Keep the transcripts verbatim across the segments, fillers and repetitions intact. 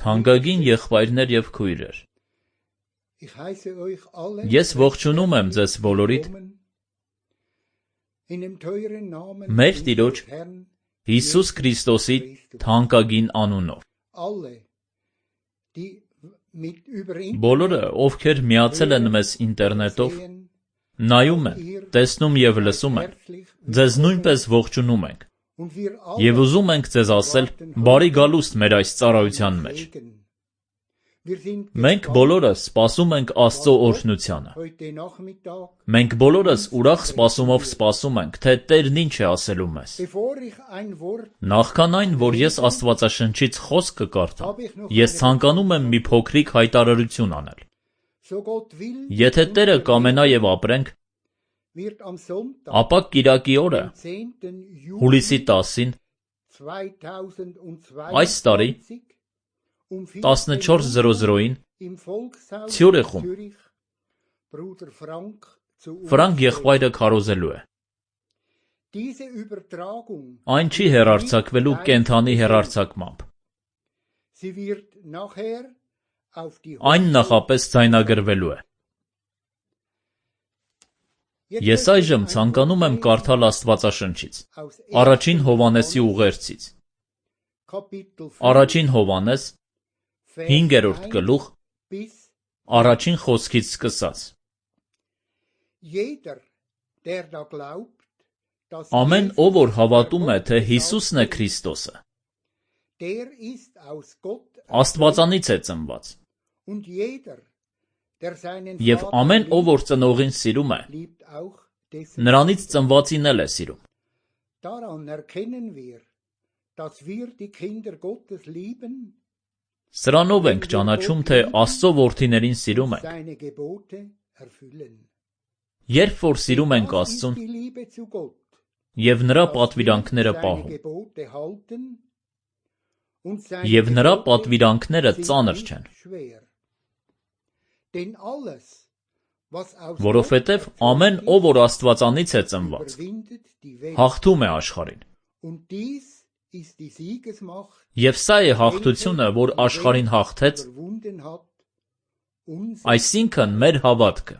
Թանկագին եղբայրներ եւ քույրեր, ես ողջունում եմ ձեզ բոլորիդ մեր Տիրոջ Հիսուս Քրիստոսի թանկագին անունով։ Բոլորը, ովքեր միացել են մեզ ինտերնետով, նայում են, տեսնում եւ լսում են, ձեզ նույնպես ողջունում ենք եւ ուզում ենք ձեզ ասել բարի գալուստ մեր այս ծառայության մեջ։ Մենք բոլորս սպասում ենք Աստծո օրհնությանը։ Մենք բոլորս ուրախ սպասումով սպասում ենք, թե Տերն ինչ է ասելու մեզ։ Նախքան այն, որ ես Աստվածաշնչից խոսք կկարդամ, ես ցանկանում եմ մի փոքրիկ հայտարարություն անել։ Եթե Տերը կամենա եւ ապրենք, ապա կիրակի օրը, հուլիսի տասին, այս տարի, տասնչորս զրո զրոին, Ցյուրիխում, Ֆրանկ եղբայրը քարոզելու է։ Այն չի հեռարձակվելու կենդանի հեռարձակմամբ։ Այն նախապես ձայնագրվելու է։ Ես այժմ ցանկանում եմ կարդալ Աստվածաշնչից, Առաջին Հովհաննեսի ուղերձից։ Առաջին Հովհաննես, հինգերորդ գլուխ, առաջին խոսքից սկսած։ Ամեն ով որ հավատում է, թե Հիսուսն է Քրիստոսը, Աստվածանից է ծնված։ Եվ ամեն ով որ ծնողին սիրում է, նրանից ծնվածին էլ է սիրում։ Սրանով ենք ճանաչում, թե Աստծո որդիներին սիրում ենք, երբ որ սիրում ենք Աստծուն և նրա պատվիրանքները պահում, և նրա պատվիրանքները ծանր չեն։ Որովհետև ամեն ով որ Աստվածանից է ծնված, հաղթում է աշխարհին։ Եվ սա է հաղթությունը, որ աշխարհին հաղթեց, այսինքն մեր հավատքը։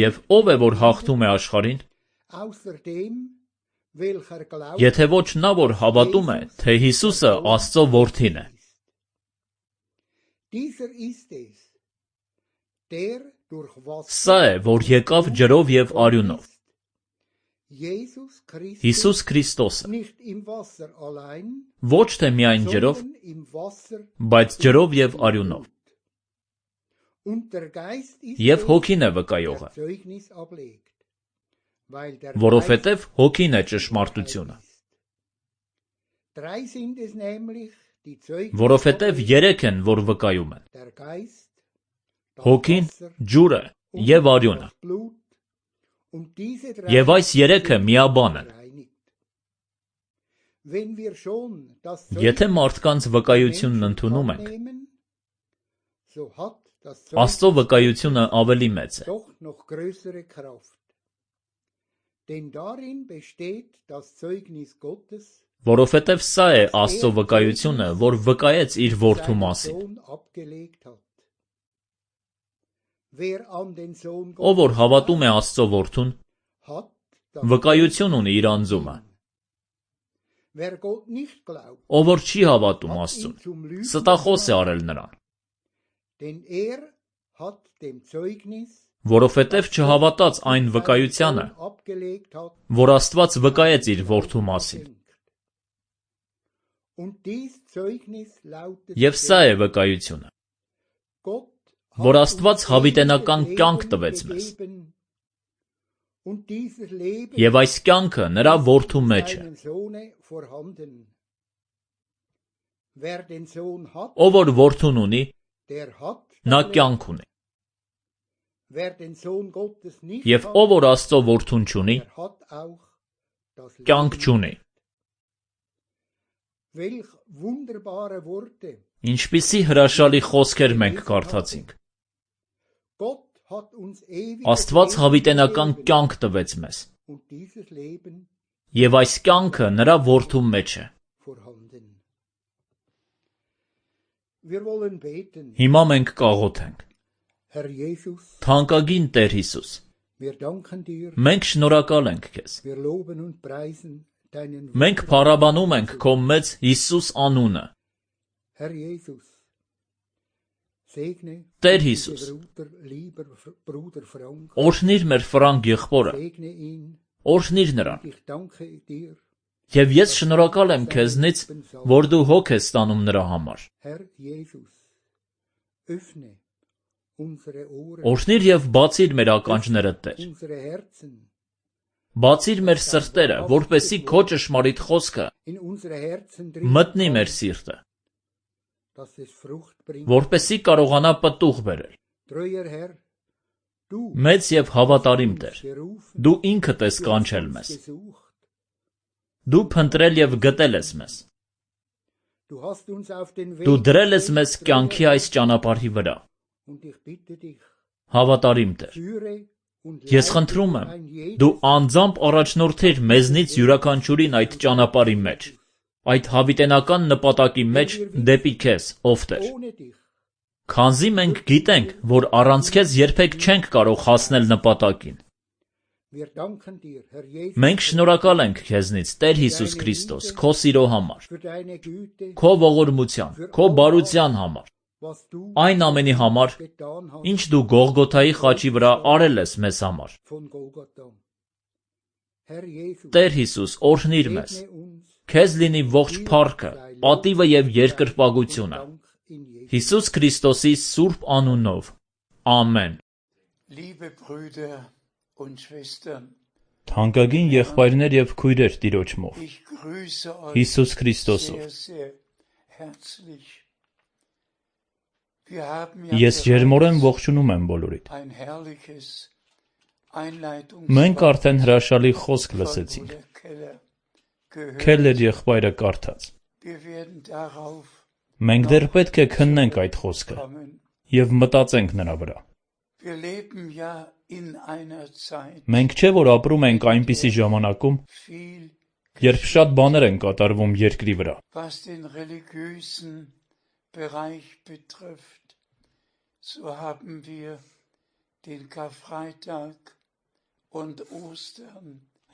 Եվ ով է որ հաղթում է աշխարհին, եթե ոչ նա, որ հավատում է, թե Հիսուսը Աստծո որդին է։ Սա է, որ եկավ ջրով և արյունով։ Հիսուս Քրիստոսը։ Ոչ թե միայն ջրով, բայց ջրով և արյունով։ Եվ Հոգին է վկայողը, որովհետև Հոգին է ճշմարտությունը։ Որովհետև երեք են, որ վկայում են. Հոգին, ջուրը և արյունը։ Եվ այս երեքը միաբան են։ Եթե մարդկանց վկայությունն ընդունում ենք, Աստծո վկայությունը ավելի մեծ է։ Որովհետև սա է Աստծո վկայությունը, որ վկայեց իր որդու մասին։ Ով որ հավատում է Աստծո որդուն, վկայություն ունի իր անձումը։ Ով որ չի հավատում Աստծուն, ստախոս է արել նրան։ Որովհետև չհավատաց այն վկայությանը, որ Աստված վկայեց իր որդու մասին։ Եվ սա է վկայությունը, որ Աստված հավիտենական կյանք տվեց մեզ, և այս կյանքը նրա որդու մեջ է։ Ով որ որդուն ունի, նա կյանք ունի։ Եվ ով որ Աստծո որդուն չունի, կյանք չունի։ Ինչպիսի հրաշալի խոսքեր մենք կարդացինք։ Աստված հավիտենական կյանք տվեց մեզ, և այս կյանքը նրա որդու մեջ է։ Հիմա մենք կաղոթենք։ Թանկագին Տեր Հիսուս, մենք շնորհակալ ենք Քեզ։ Մենք փառաբանում ենք Քո մեծ Հիսուս անունը։ Տեր Հիսուս, օրհնիր մեր Ֆրանկ եղբորը, օրհնիր նրան, Եւ ես շնորհակալ եմ քեզնից, որ դու հոգ ես ստանում նրա համար։ Օրհնիր եւ բացիր մեր ականջները, Տեր։ Բացիր մեր սրտերը, որպեսզի քո ճշմարիտ խոսքը մտնի մեր սիրտը, որպեսզի կարողանա պտուղ բերել։ Մեծ եւ հավատարիմ Տեր, դու ինքդ ես կանչել մեզ։ Դու փնտրել եւ գտել ես մեզ։ Դու դրել ես մեզ կյանքի այս ճանապարհի վրա։ Հավատարիմ Տեր, ես խնդրում եմ, դու անձամբ առաջնորդիր մեզնից յուրաքանչյուրին այդ ճանապարհի մեջ, այդ հավիտենական նպատակի մեջ դեպի քեզ, ով Տեր։ Քանզի մենք գիտենք, որ առանց քեզ երբեք չենք կարող հասնել նպատակին։ Մենք շնորհակալ ենք քեզնից, Տեր Հիսուս Քրիստոս, քո սիրո համար, քո ողորմության, քո բարության համար, այն ամենի համար, ինչ դու Գողգոթայի խաչի վրա արել ես մեզ համար։ Տեր Հիսուս, օրհնիր մեզ, քեզ լինի ողջ փառքը, պատիվը եւ երկրպագությունը, Հիսուս Քրիստոսի սուրբ անունով, ամեն։ Թանկագին եղբայրներ եւ քույրեր Տիրոջմով, Հիսուս Քրիստոսով, ես ջերմորեն ողջունում եմ բոլորիդ։ Մենք արդեն հրաշալի խոսք լսեցինք, Քելլեր եղբայրը կարդաց։ Մենք դեռ պետք է քննենք այդ խոսքը եւ մտածենք նրա վրա։ Մենք չէ որ ապրում ենք այնպիսի ժամանակում, երբ շատ բաներ են կատարվում երկրի վրա։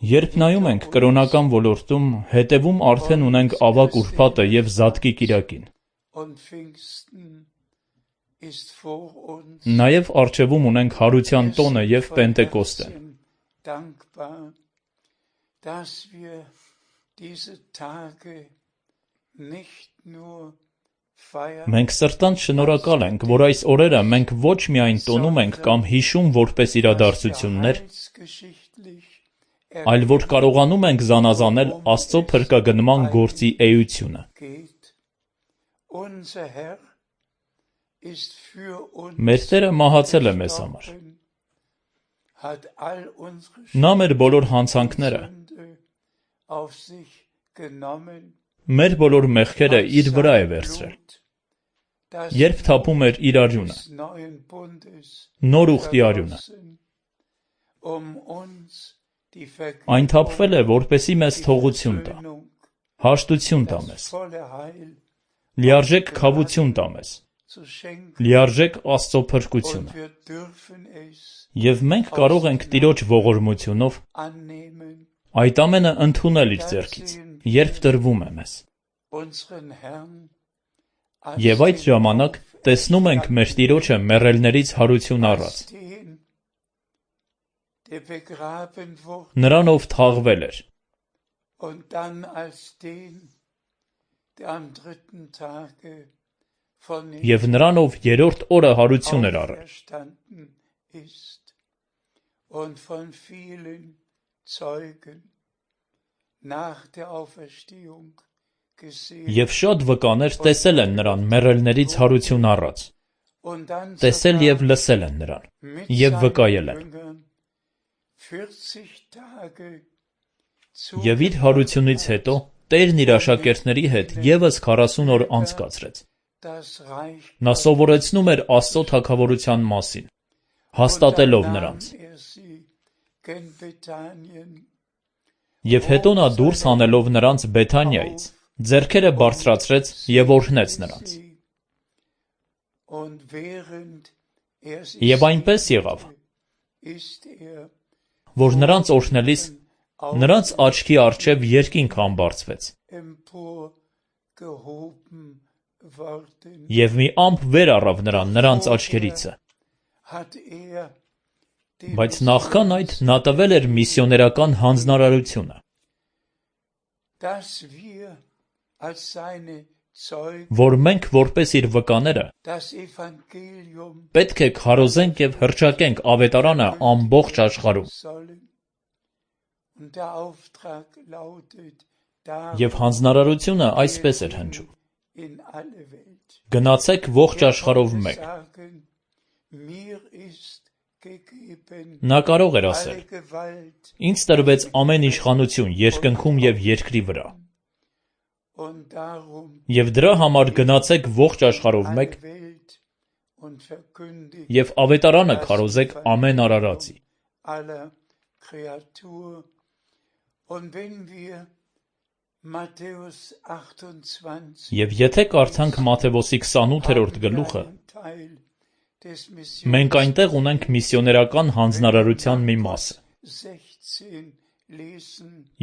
Երբ նայում ենք կրոնական ոլորտում, հետևում արդեն ունենք ավագ ուրբաթը եւ Զատկի կիրակին։ Նաեւ առջևում ունենք Հարության տոնը եւ Պենտեկոստեն։ Մենք սրտանց շնորհակալ ենք, որ այս օրերը մենք ոչ միայն տոնում ենք կամ հիշում որպես իրադարձություններ, այլ որ կարողանում ենք զանազանել Աստծո փրկագնման գործի էությունը։ Մեր Տերը մահացել է մեզ համար։ Նա մեր բոլոր հանցանքները, մեր բոլոր մեղքերը իր վրա է վերցրել։ Երբ թափում էր իր արյունը, նոր ուխտի արյունը, այն թափվել է, որպեսզի մեզ թողություն տա, հաշտություն տա մեզ, լիարժեք քավություն տա մեզ, լիարժեք Աստծո փրկությունը։ Եվ մենք կարող ենք Տիրոջ ողորմությունով այդ ամենը ընդունել իր ձեռքից, երբ տրվում է մեզ։ Եվ այդ ժամանակ տեսնում ենք մեր Տիրոջը մեռելներից հարություն առած։ Նրանով թաղվել էր։ Եվ նրանով երրորդ օրը հարություն էր առել։ Եվ շատ վկաներ տեսել են նրան մեռելներից հարություն առած, տեսել եւ լսել են նրան, եւ վկայել են։ Եվ իր հարությունից հետո Տերն իր աշակերտների հետ եւս քառասուն օր անցկացրեց։ Նա սովորեցնում էր Աստծո թագավորության մասին, հաստատելով նրանց։ Եվ հետո նա դուրս հանելով նրանց Բեթանիայից, ձեռքերը բարձրացրեց եւ օրհնեց նրանց։ Եվ այնպես եղավ, որ նրանց օրհնելիս նրանց աչքի առջև երկինք համբարձվեց։ Եվ մի ամպ վեր առավ նրան նրանց աչքերիցը։ Բայց նախքան այդ նա տվել էր միսիոներական հանձնարարությունը։ որ մենք որպես իր վկաները պետք է քարոզենք և հռչակենք ավետարանը ամբողջ աշխարհում։ Եվ հանձնարարությունը այսպես էր հնչում. գնացեք ողջ աշխարհով մեկ։ Նա կարող էր ասել. ինձ տրվեց ամեն իշխանություն երկնքում և երկրի վրա։ Եվ դրա համար գնացեք ողջ աշխարհով մեկ և ավետարանը քարոզեք ամեն արարածի։ Եվ եթե կարդանք Մատթեոսի քսանութերորդ գլուխը, մենք այնտեղ ունենք միսիոներական հանձնարարության մի մասը։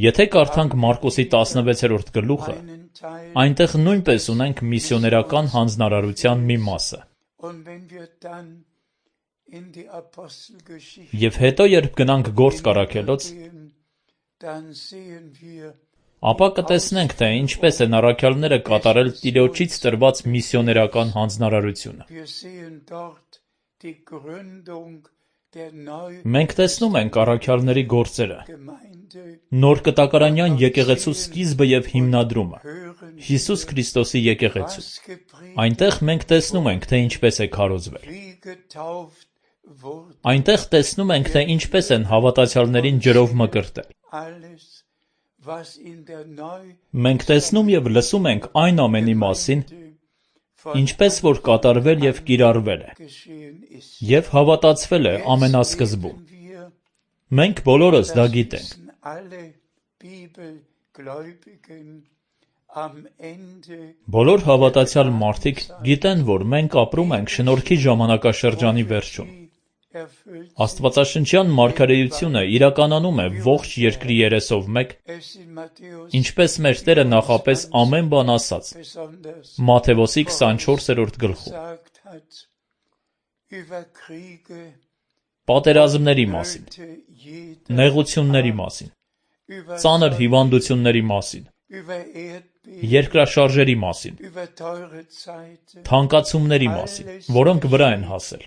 Եթե կարդանք Մարկոսի տասնվեցերորդ գլուխը, այնտեղ նույնպես ունենք միսիոներական հանձնարարության մի մասը։ Եվ հետո երբ գնանք Գործք առաքելոց, ապա կտեսնենք, թե ինչպես են առաքյալները կատարել Տիրոջից տրված միսիոներական հանձնարարությունը։ Մենք տեսնում ենք առաքյալների գործերը, նոր կտակարանյան եկեղեցու սկիզբը և հիմնադրումը, Հիսուս Քրիստոսի եկեղեցու։ Այնտեղ մենք տեսնում ենք, թե ինչպես է քարոզվել։ Այնտեղ տեսնում ենք, թե ինչպես են հավատացյալներին ջրով մկրտել։ Մենք տեսնում և լսում ենք այն ամենի մասին, ինչպես որ կատարվել և կիրառվել է, և հավատացվել է ամենասկզբում։ Մենք բոլորս դա գիտենք։ Բոլոր հավատացյալ մարդիկ գիտեն, որ մենք ապրում ենք շնորհքի ժամանակաշրջանի վերջում։ Աստվածաշնչյան մարգարեությունը իրականանում է ողջ երկրի երեսով մեկ, ինչպես մեր Տերը նախապես ամեն բան ասաց Մատթեոսի քսանչորսերորդ գլխում։ Պատերազմների մասին, նեղությունների մասին, ծանր հիվանդությունների մասին, երկրաշարժերի մասին, թանկացումների մասին, որոնք վրա են հասել։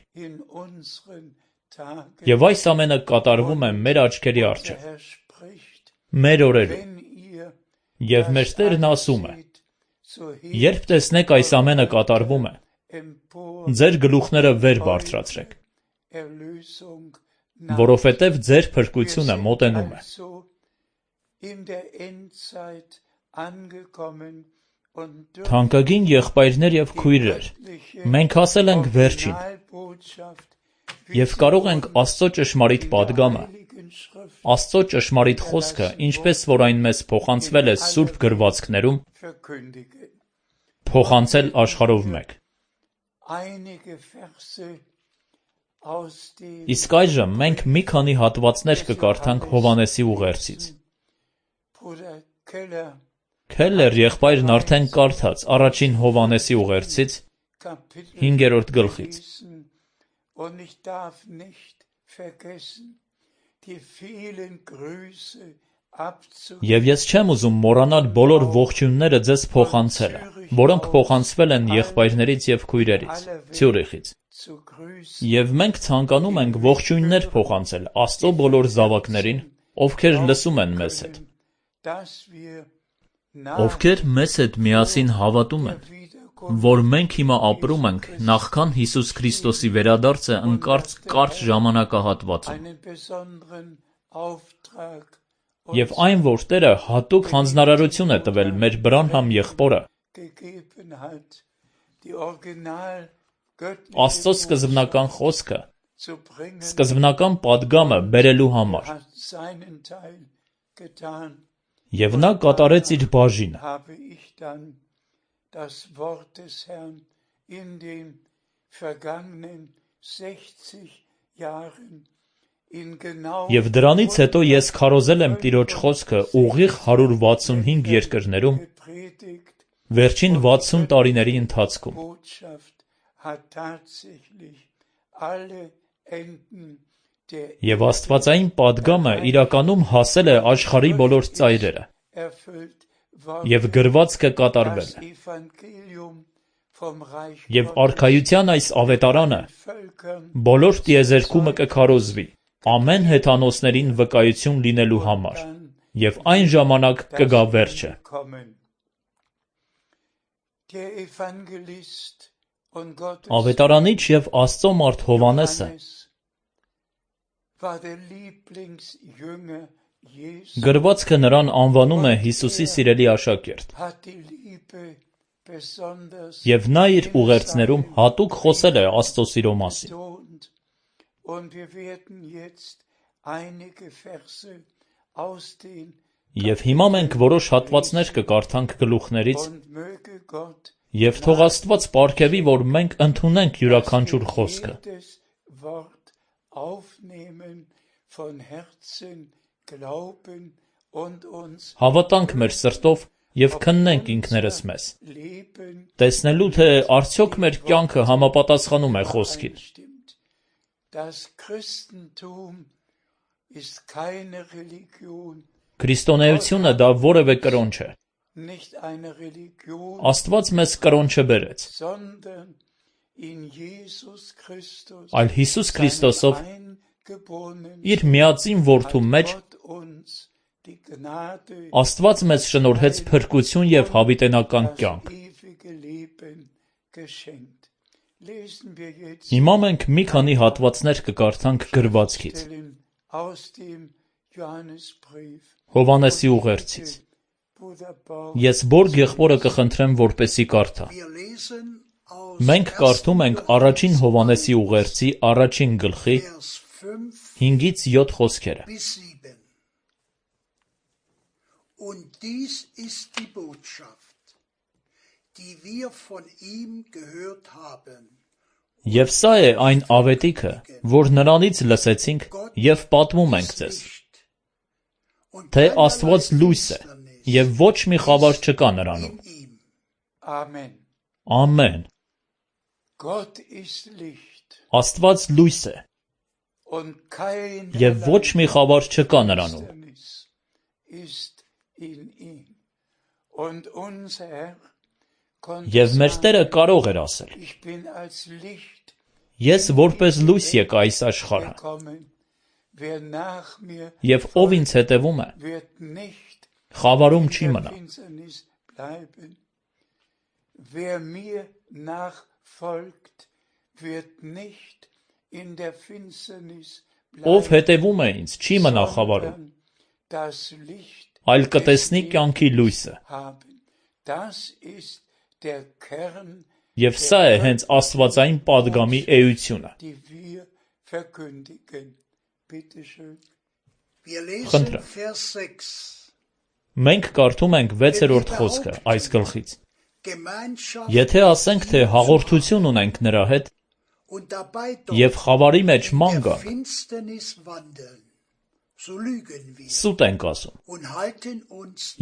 Եվ այս ամենը կատարվում է մեր աչքերի առջև, մեր օրերում։ Եվ մեր Տերն ասում է. երբ տեսնեք այս ամենը կատարվում է, ձեր գլուխները վեր բարձրացրեք, որովհետև ձեր փրկությունը մոտենում է։ Թանկագին եղբայրներ և քույրեր, մենք հասել ենք վերջին և կարող ենք Աստծո ճշմարիտ պատգամը, Աստծո ճշմարիտ խոսքը, ինչպես որ այն մեզ փոխանցվել է սուրբ գրվածքներում, փոխանցել աշխարհով մեկ։ Իսկ այժմ մենք մի քանի հատվածներ կկարդանք Հովհաննեսի ուղերձից։ Քելլեր եղբայրն արդեն կարդաց առաջին Հովհաննեսի ուղերձից հինգերորդ գլխից։ Եվ ես չեմ ուզում մոռանալ բոլոր ողջույնները ձեզ փոխանցելը, որոնք փոխանցվել են եղբայրներից և քույրերից, Ցյուրիխից։ Եվ մենք ցանկանում ենք ողջույններ փոխանցել Աստծո բոլոր զավակներին, ովքեր լսում են մեզ հետ, ովքեր մեզ հետ միասին հավատում են, որ մենք հիմա ապրում ենք նախքան Հիսուս Քրիստոսի վերադարձը ընկած կարճ ժամանակահատվածում։ Եվ այն, որ Տերը հատուկ հանձնարարություն է տվել մեր Բրանհամ եղբորը Աստծո սկզբնական խոսքը, սկզբնական պատգամը բերելու համար։ Եվ նա կատարեց իր բաժինը։ Եվ դրանից հետո ես քարոզել եմ Տիրոջ խոսքը ուղիղ հարյուր վաթսունհինգ երկրներում վերջին վաթսուն տարիների ընթացքում։ Եվ աստվածային պատգամը իրականում հասել է աշխարհի բոլոր ծայրերը։ և գրվածքը կատարվել է։ Եվ արքայության այս ավետարանը բոլոր տիեզերքումը կքարոզվի, ամեն հեթանոսներին վկայություն լինելու համար, և այն ժամանակ կգա վերջը։ Ավետարանիչ և Աստծո մարդ Հովհաննեսը գրվածքը նրան անվանում է Հիսուսի սիրելի աշակերտ, և նա իր ուղերձներում հատուկ խոսել է Աստծո սիրո մասին։ Եվ հիմա մենք որոշ հատվածներ կկարդանք գլուխներից, և թող Աստված պարգևի, որ մենք ընդունենք յուրաքանչյուր խոսքը։ Հավատանք մեր սրտով և քննենք ինքներս մեզ, տեսնելու, թե արդյոք մեր կյանքը համապատասխանում է խոսքին։ Քրիստոնեությունը դա որևէ կրոն չէ։ Աստված մեզ կրոն չբերեց, այլ Հիսուս Քրիստոսով իր միածին Որդու մեջ Աստված մեզ շնորհեց փրկություն և հավիտենական կյանք։ Հիմա մենք մի քանի հատվածներ կկարդանք գրվածքից, Հովհաննեսի ուղերձից։ Ես Բորգ եղբորը կխնդրեմ, որպեսզի կարդա։ Մենք կարդում ենք առաջին Հովհաննեսի ուղերձի առաջին գլխի հինգից յոթ խոսքերը։ Und dies ist die Botschaft, die wir von ihm gehört haben. Եվ սա է այն ավետիքը, որ նրանից լսեցինք և պատմում ենք ձեզ, թե Աստված լույս է, և ոչ մի խավար չկա նրանում։ Ամեն։ Աստված լույս է, և ոչ մի խավար չկա նրանում։ Եվ մեր Տերը կարող էր ասել. Ես որպես լույս եկա այս աշխարհը, և ով ինձ հետևում է, խավարում չի մնա։ Ով հետևում է ինձ, չի մնա խավարում, այլ կտեսնի կյանքի լույսը։ Եվ սա է հենց աստվածային պատգամի էությունը։ Խնդրեմ։ Մենք կարդում ենք վեցերորդ խոսքը այս գլխից։ Եթե ասենք, թե հաղորդություն ունենք նրա հետ, և խավարի մեջ ման գանք, սուտ ենք ասում,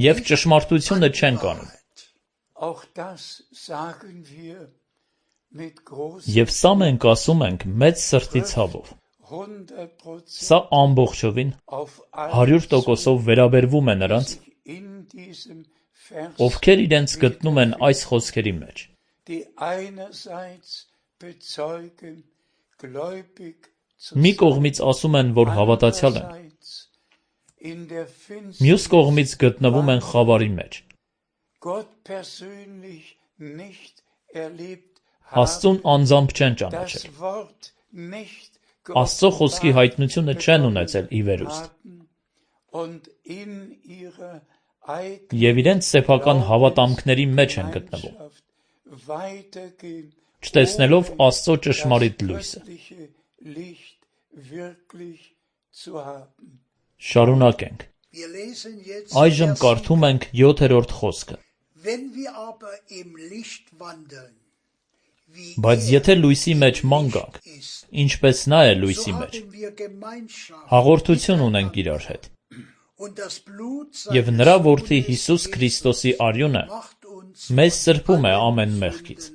և ճշմարտությունը չենք անում։ Եվ սա մենք ասում ենք մեծ սրտի ցավով։ Սա ամբողջովին հարյուր տոկոսով վերաբերվում է նրանց, ովքեր իրենց գտնում են այս խոսքերի մեջ։ Մի կողմից ասում են, որ հավատացյալ են, մյուս կողմից գտնվում են խավարի մեջ։ Աստծուն անձամբ չեն ճանաչել, Աստծո խոսքի հայտնությունը չեն ունեցել ի վերուստ, և իրենց սեփական հավատամքների մեջ են գտնվում, չտեսնելով Աստծո ճշմարիտ լույսը։ Շարունակենք։ Այժմ կարդում ենք յոթերորդ խոսքը։ Բայց եթե լույսի մեջ ման գանք, ինչպես նա է լույսի մեջ, հաղորդություն ունենք իրար հետ, և նրա որդի Հիսուս Քրիստոսի արյունը մեզ սրբում է ամեն մեղքից։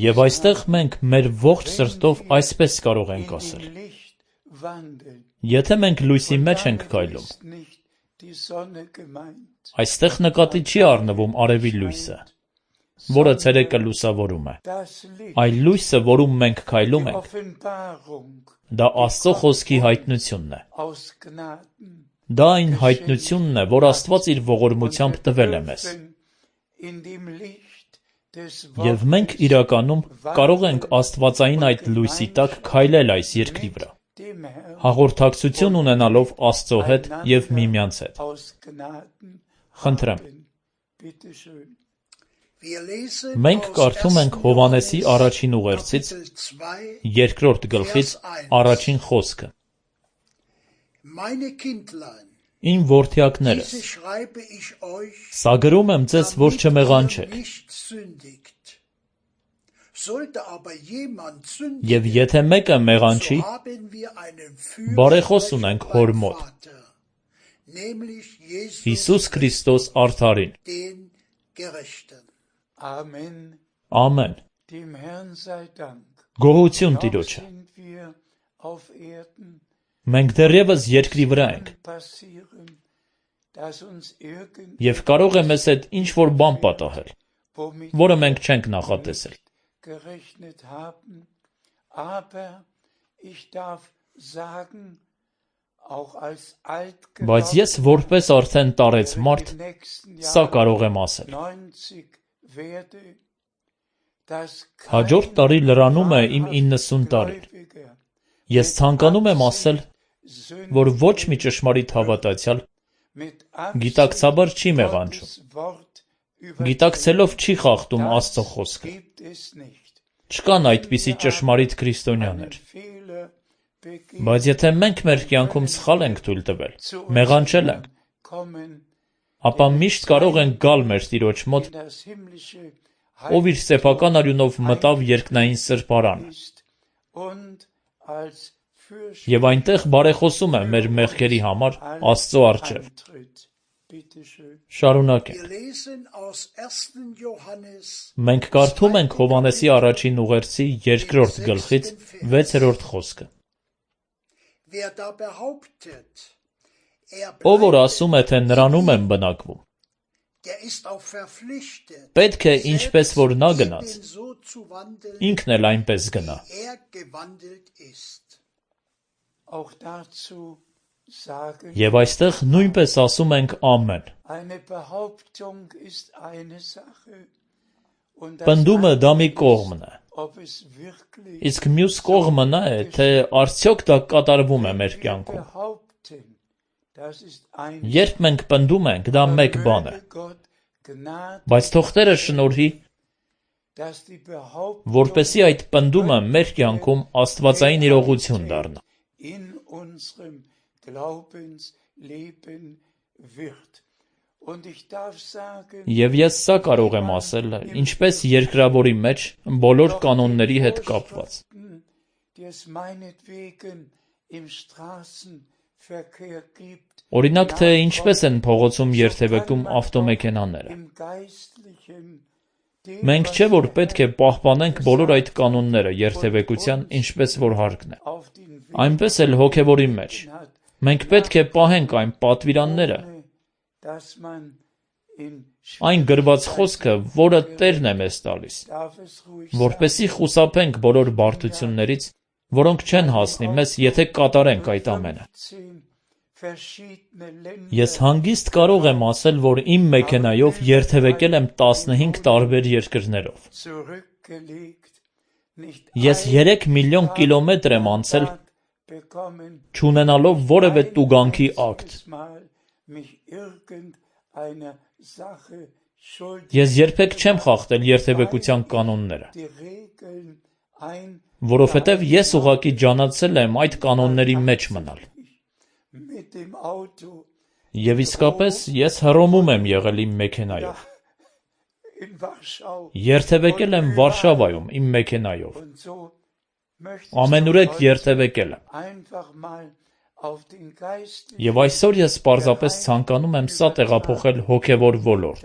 Եվ այստեղ մենք մեր ողջ սրտով այսպես կարող ենք ասել. Եթե մենք լույսի մեջ ենք քայլում, այստեղ նկատի չի առնվում արևի լույսը, որը ցերեկը լուսավորում է, այլ լույսը, որում մենք քայլում ենք, դա Աստծո խոսքի հայտնությունն է։ Դա այն հայտնությունն է, որ Աստված իր ողորմությամբ տվել է մեզ։ Եվ մենք իրականում կարող ենք աստվածային այդ լույսի տակ քայլել այս երկրի վրա, հաղորդակցություն ունենալով Աստծո հետ և միմյանց հետ։ Խնդրեմ։ Մենք կարդում ենք Հովհաննեսի առաջին ուղերձից, երկրորդ գլխից առաջին խոսքը. Իմ որդյակներս, սա գրում եմ ձեզ, որ չմեղանչեք։ Եվ եթե մեկը մեղանչի, բարեխոս ունենք Հոր մոտ, Հիսուս Քրիստոս արդարին։ Ամեն։ Գոհություն Տիրոջը։ Մենք դեռևս երկրի վրա ենք, և կարող է մեզ հետ ինչ-որ բան պատահել, որը մենք չենք նախատեսել։ Բայց ես որպես արդեն տարեց մարդ, սա կարող եմ ասել. հաջորդ տարի լրանում է իմ իննսուն տարին։ Ես ցանկանում եմ ասել, որ ոչ մի ճշմարիտ հավատացյալ գիտակցաբար չի մեղանչում, գիտակցելով չի խախտում Աստծո խոսքը։ Չկան այդպիսի ճշմարիտ քրիստոնյաներ։ Բայց եթե մենք մեր կյանքում սխալ ենք թույլ տվել, մեղանչել ենք, ապա միշտ կարող ենք գալ մեր Տիրոջ մոտ, ով իր սեփական արյունով մտավ երկնային սրբարանը, և այնտեղ բարեխոսում է մեր մեղքերի համար Աստծո առջև։ Շարունակենք։ Մենք կարդում ենք Հովհաննեսի առաջին ուղերձի երկրորդ գլխից վեցերորդ խոսքը. Ով որ ասում է, թե նրանում եմ բնակվում, պետք է ինչպես որ նա գնաց, ինքն էլ այնպես գնա։ Եվ այստեղ նույնպես ասում ենք ամեն։ Պնդումը դա մի կողմն է, իսկ մյուս կողմը նա է, թե արդյոք դա կատարվում է մեր կյանքում։ Երբ մենք պնդում ենք, դա մեկ բան է, բայց թող Տերը շնորհի, որպեսզի այդ պնդումը մեր կյանքում աստվածային իրողություն դառնա։ Եվ ես սա կարող եմ ասել, ինչպես երկրավորի մեջ բոլոր կանոնների հետ կապված։ Օրինակ, թե ինչպես են փողոցում երթևեկում ավտոմեքենաները։ Մենք չէ, որ պետք է պահպանենք բոլոր այդ կանոնները երթևեկության, ինչպես որ հարկն է։ Այնպես էլ հոգևորի մեջ։ Մենք պետք է պահենք այն պատվիրանները, այն գրված խոսքը, որը Տերն է մեզ տալիս, որպեսզի խուսափենք բոլոր բարդություններից, որոնք չեն հասնի մեզ, եթե կատարենք այդ ամենը։ Ես հանգիստ կարող եմ ասել, որ իմ մեքենայով երթևեկել եմ տասնհինգ տարբեր երկրներով։ Ես երեք միլիոն կիլոմետր եմ անցել, չունենալով որևէ տուգանքի ակտ։ Ես երբեք չեմ խախտել երթևեկության կանոնները, որովհետև ես ուղղակի ջանացել եմ այդ կանոնների մեջ մնալ։ Եվ իսկապես ես Հռոմում եմ եղել իմ մեքենայով։ Երթևեկել եմ Վարշավայում իմ մեքենայով։ Ամենուրեք երթևեկել եմ։ Եվ այսօր ես պարզապես ցանկանում եմ սա տեղափոխել հոգևոր ոլորտ։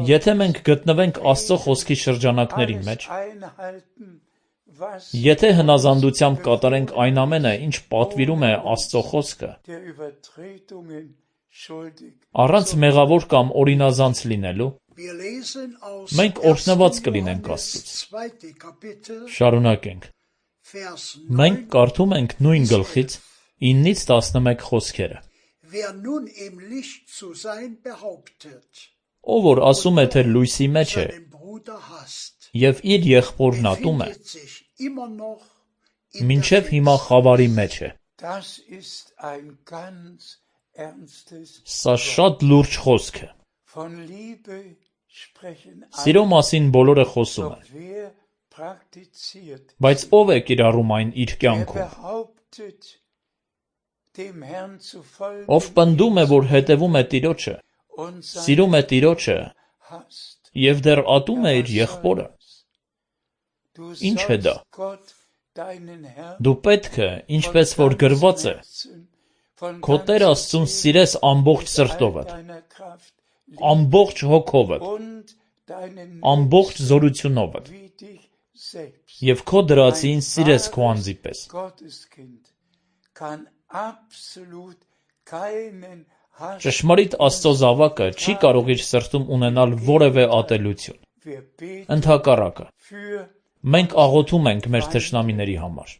Եթե մենք գտնվենք Աստծո խոսքի շրջանակների մեջ, Եթե հնազանդությամբ կատարենք այն ամենը, ինչ պատվիրում է Աստծո խոսքը, առանց մեղավոր կամ օրինազանց լինելու, մենք օրհնված կլինենք Աստծուց։ Շարունակենք։ Մենք կարդում ենք նույն գլխից իննից տասնմեկ խոսքերը։ Ով որ ասում է, թե լույսի մեջ է, և իր եղբորն ատում է, մինչև հիմա խավարի մեջ է։ Սա շատ լուրջ խոսք է։ Սիրո մասին բոլորը խոսում են, բայց ով է կիրառում այն իր կյանքում։ Ով պնդում է, որ հետևում է Տիրոջը, սիրում է Տիրոջը և դեռ ատում է իր եղբորը, ինչ է դա։ Դու պետք է, ինչպես որ գրված է, քո Տեր Աստծուն սիրես ամբողջ սրտովդ, ամբողջ հոգովդ, ամբողջ զորությունովդ և քո դրածին սիրես քո անձի պես։ Ճշմարիտ Աստծո զավակը չի կարող իր սրտում ունենալ որևէ ատելություն։ Ընդհակառակը, մենք աղոթում ենք մեր թշնամիների համար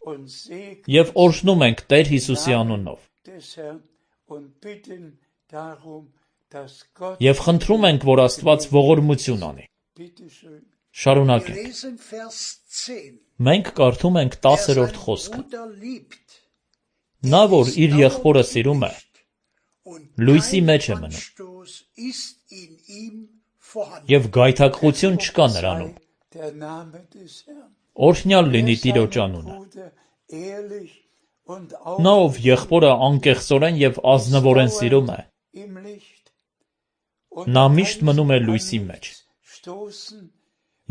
և օրհնում ենք Տեր Հիսուսի անունով և խնդրում ենք, որ Աստված ողորմություն անի։ Շարունակենք։ Մենք կարդում ենք տասերորդ խոսքը։ Նա, որ իր եղբորը սիրում է, լույսի մեջ է մնում, և գայթակղություն չկա նրանում։ Օրհնյալ լինի Տիրոջ անունը։ Նա, ով եղբորը անկեղծորեն և ազնվորեն սիրում է, նա միշտ մնում է լույսի մեջ,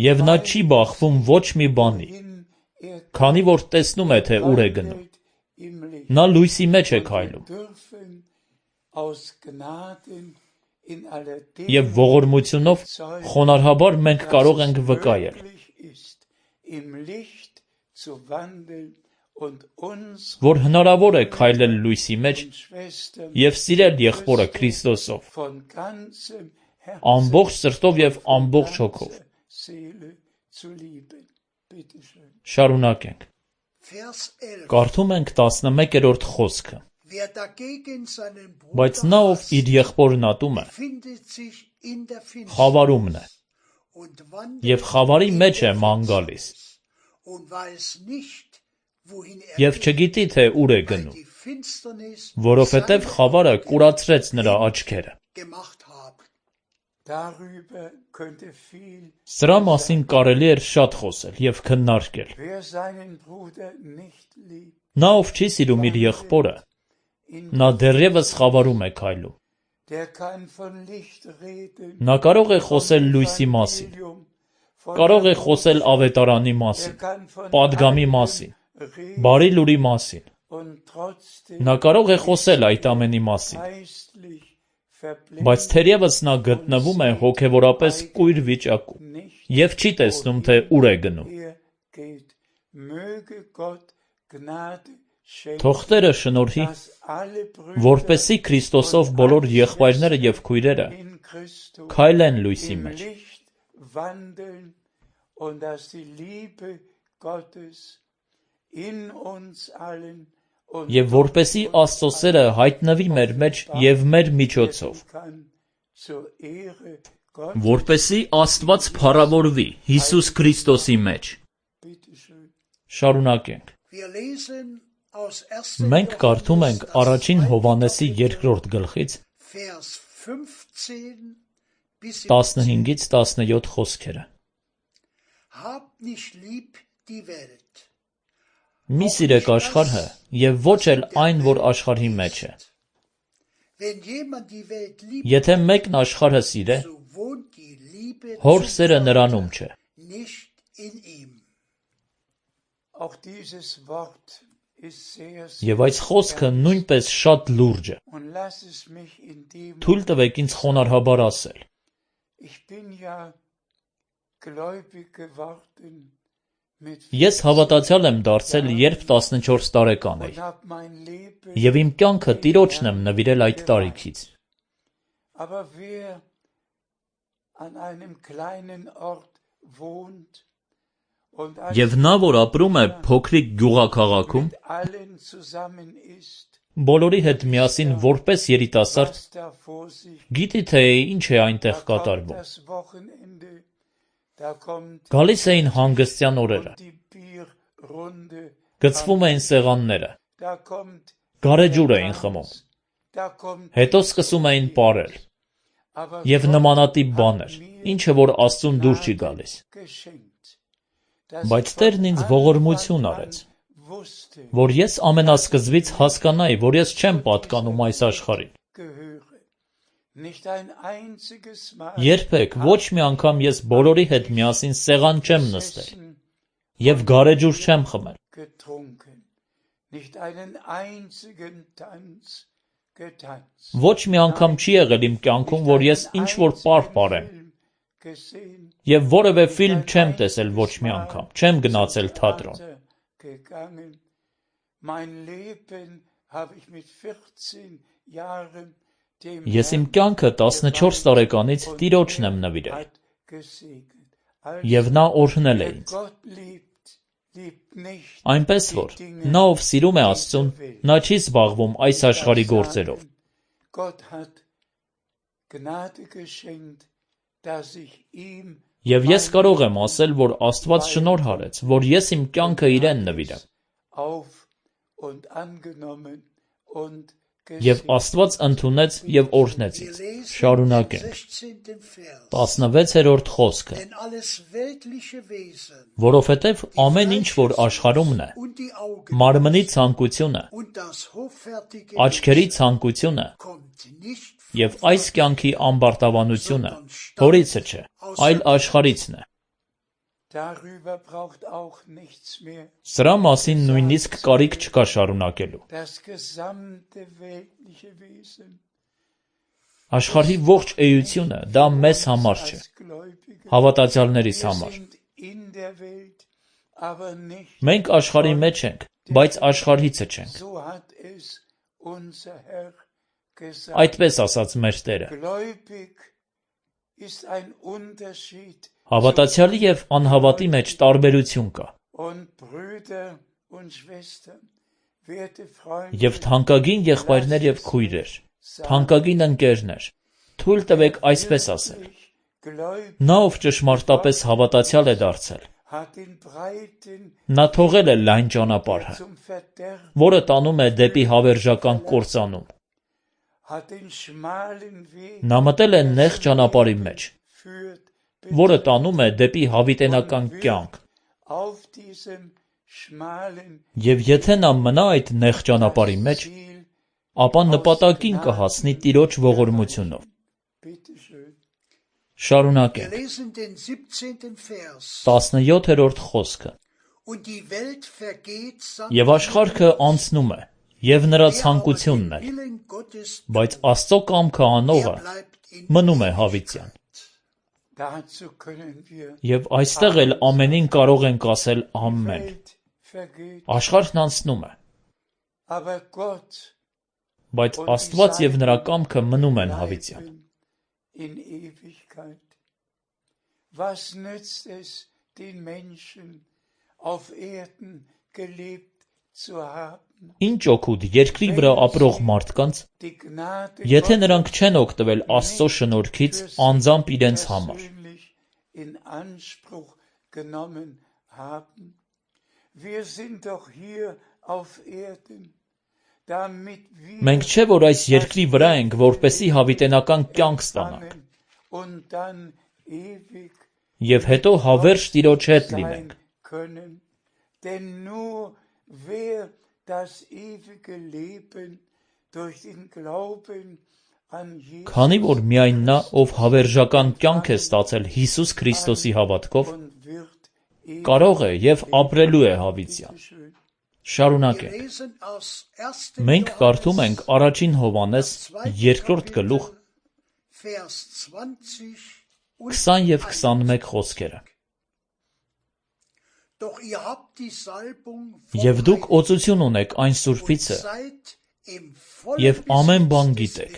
և նա չի բախվում ոչ մի բանի, քանի որ տեսնում է, թե ուր է գնում։ Նա լույսի մեջ է քայլում, և ողորմությունով խոնարհաբար մենք կարող ենք վկայել, որ հնարավոր է քայլել լույսի մեջ և սիրել եղբորը Քրիստոսով, ամբողջ սրտով և ամբողջ հոգով։ Շարունակենք։ Կարդում ենք տասնմեկերորդ խոսքը։ Բայց նա, ով իր եղբորն ատում է, խավարումն է, և խավարի մեջ է ման գալիս, և չգիտի, թե ուր է գնում, որովհետև խավարը կուրացրեց նրա աչքերը։ Սրա մասին կարելի էր շատ խոսել և քննարկել։ Նա, ով չի սիրում իր եղբորը, նա դեռևս խավարում է քայլում։ Նա կարող է խոսել լույսի մասին, կարող է խոսել ավետարանի մասին, պատգամի մասին, բարի լուրի մասին։ Նա կարող է խոսել այդ ամենի մասին, բայց թերևս նա գտնվում է հոգևորապես կույր վիճակում և չի տեսնում, թե ուր է գնում։ Թող Տերը շնորհի, որպեսզի Քրիստոսով բոլոր եղբայրները և քույրերը քայլեն լույսի մեջ, և որպեսզի Աստծո սերը հայտնվի մեր մեջ և մեր միջոցով, որպեսզի Աստված փառավորվի Հիսուս Քրիստոսի մեջ։ Շարունակենք։ Մենք կարդում ենք առաջին Հովհաննեսի երկրորդ գլխից տասնհինգից տասնյոթ խոսքերը։ Մի սիրեք աշխարհը և ոչ էլ այն, որ աշխարհի մեջ է։ Եթե մեկն աշխարհը սիրե, Հոր սերը նրանում չէ։ Եվ այս խոսքը նույնպես շատ լուրջ է։ Թույլ տվեք ինձ խոնարհաբար ասել։ Ես հավատացյալ եմ դարձել, երբ տասնչորս տարեկան էի, և իմ կյանքը Տիրոջն եմ նվիրել այդ տարիքից։ Եվ նա, որ ապրում է փոքրիկ գյուղաքաղաքում, բոլորի հետ միասին որպես երիտասարդ, գիտի թե ինչ է այնտեղ կատարվում։ Գալիս էին հանգստյան օրերը, գցվում էին սեղանները, գարեջուր էին խմում, հետո սկսում էին պարել, և նմանատիպ բաներ, ինչը որ Աստծուն դուր չի գալիս։ Բայց Տերն ինձ ողորմություն արեց, որ ես ամենասկզբից հասկանայի, որ ես չեմ պատկանում այս աշխարհին։ Երբեք ոչ մի անգամ ես բոլորի հետ միասին սեղան չեմ նստել և գարեջուր չեմ խմել։ Ոչ մի անգամ չի եղել իմ կյանքում, որ ես ինչ-որ պար պարեմ, և որևէ ֆիլմ չեմ տեսել ոչ մի անգամ, չեմ գնացել թատրոն։ Ես իմ կյանքը տասնչորս տարեկանից Տիրոջն եմ նվիրել, և նա օրհնել է ինձ։ Այնպես որ, նա, ով սիրում է Աստծուն, նա չի զբաղվում այս աշխարհի գործերով։ Եվ ես կարող եմ ասել, որ Աստված շնորհ արեց, որ ես իմ կյանքը իրեն նվիրեմ։ Եվ Աստված ընդունեց և օրհնեց ինձ։ Շարունակենք։ տասնվեցերորդ խոսքը։ Որովհետև ամեն ինչ, որ աշխարհումն է, մարմնի ցանկությունը, աչքերի ցանկությունը և այս կյանքի ամբարտավանությունը հորիցը չէ, այլ աշխարհիցն է։ Սրա մասին նույնիսկ կարիք չկա շարունակելու։ Աշխարհի ողջ էությունը դա մեզ համար չէ, հավատացյալներիս համար։ Մենք աշխարհի մեջ ենք, բայց աշխարհիցը չենք։ Այդպես ասաց մեր Տերը։ Հավատացյալի և անհավատի մեջ տարբերություն կա։ Եվ թանկագին եղբայրներ և քույրեր, թանկագին ընկերներ, թույլ տվեք այսպես ասել. նա, ով ճշմարտապես հավատացյալ է դարձել, նա թողել է լայն ճանապարհը, որը տանում է դեպի հավերժական կործանում։ Նա մտել է նեղ ճանապարհի մեջ, որը տանում է դեպի հավիտենական կյանք։ Եվ եթե նա մնա այդ նեղ ճանապարհի մեջ, ապա նպատակին կհասնի Տիրոջ ողորմությունով։ Շարունակենք։ տասնյոթերորդ խոսքը։ Եվ աշխարհը անցնում է, և նրա ցանկությունն էլ, բայց Աստծո կամքը անողը մնում է հավիտյան։ Եվ այստեղ էլ ամենին կարող ենք ասել ամեն։ Աշխարհն անցնում է, բայց Աստված և նրա կամքը մնում են հավիտյան։ Ինչ օգուտ երկրի վրա ապրող մարդկանց, եթե նրանք չեն օգտվել Աստծո շնորհքից անձամբ իրենց համար։ Մենք չէ՞ որ այս երկրի վրա ենք, որպեսզի հավիտենական կյանք ստանանք, և հետո հավերժ Տիրոջ հետ լինենք։ Քանի որ միայն նա, ով հավերժական կյանք է ստացել Հիսուս Քրիստոսի հավատքով, կարող է և ապրելու է հավիտյան։ Շարունակենք։ Մենք կարդում ենք առաջին Հովհաննես երկրորդ գլուխ քսան և քսանմեկ խոսքերը։ Եվ դուք օծություն ունեք այն Սուրբիցը, և ամեն բան գիտեք։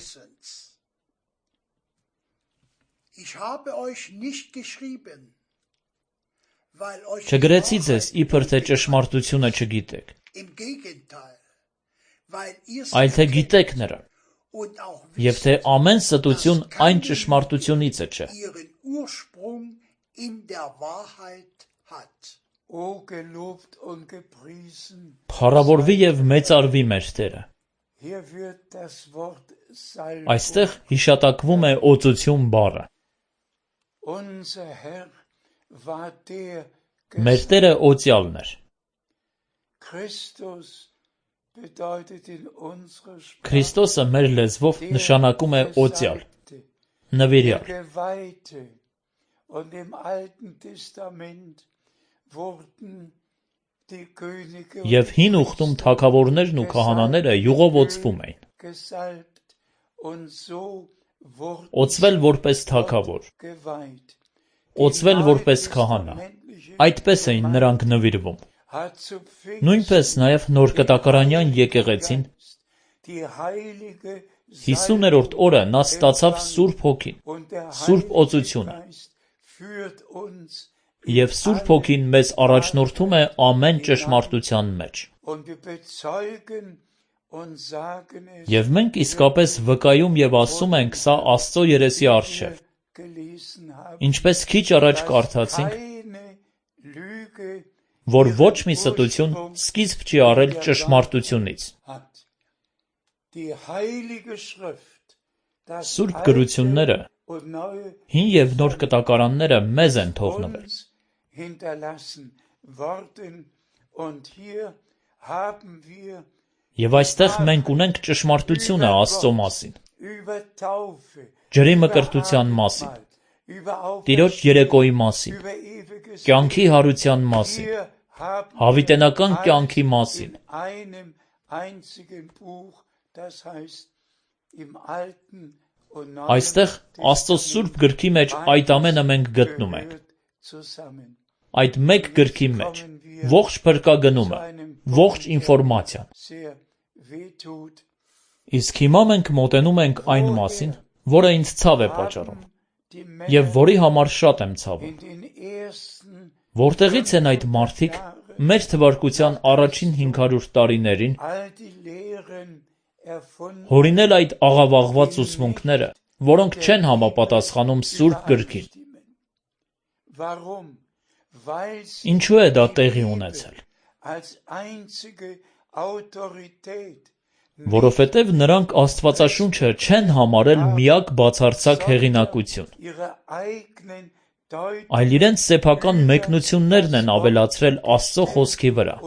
Չգրեցի ձեզ, իբր թե ճշմարտությունը չգիտեք, այլ թե գիտեք նրան, և թե ամեն ստություն այն ճշմարտությունիցը չէ։ Փառավորվի և մեծարվի մեր Տերը։ Այստեղ հիշատակվում է օծություն բառը։ Մեր Տերը օծյալն էր։ Քրիստոսը մեր լեզվով նշանակում է օծյալ, նվիրյալ։ Եվ հին ուխտում թագավորներն ու քահանաները յուղով օծվում էին։ Օծվել որպես թագավոր, օծվել որպես քահանա, այդպես էին նրանք նվիրվում։ Նույնպես նաև նորկտակարանյան եկեղեցին հիսուներորդ օրը նա ստացավ Սուրբ Հոգին, Սուրբ օծությունը, և Սուրբ Հոգին մեզ առաջնորդում է ամեն ճշմարտության մեջ։ Եվ մենք իսկապես վկայում և ասում ենք սա Աստծո երեսի առջև, ինչպես քիչ առաջ կարդացինք, որ ոչ մի ստություն սկիզբ չի առել ճշմարտությունից։ Սուրբ գրությունները, հին և նոր կտակարանները մեզ են թողնվել։ Եվ այստեղ մենք ունենք ճշմարտությունը Աստծո մասին, ջրի մկրտության մասին, Տիրոջ երեկոյի մասին, կյանքի հարության մասին, հավիտենական կյանքի մասին։ Այստեղ Աստծո Սուրբ գրքի մեջ այդ ամենը մենք գտնում ենք։ Այդ մեկ գրքի մեջ ողջ փրկագնումը, ողջ ինֆորմացիան։ Իսկ հիմա մենք մոտենում ենք այն մասին, որը ինձ ցավ է պատճառում, և որի համար շատ եմ ցավում։ Որտեղից են այդ մարդիկ մեր թվարկության առաջին հինգ հարյուր տարիներին հորինել այդ աղավաղված ուսմունքները, որոնք չեն համապատասխանում Սուրբ գրքին։ Ինչու է դա տեղի ունեցել։ Որովհետև նրանք Աստվածաշունչը չեն համարել միակ բացարձակ հեղինակություն, այլ իրենց սեփական մեկնություններն են ավելացրել Աստծո խոսքի վրա,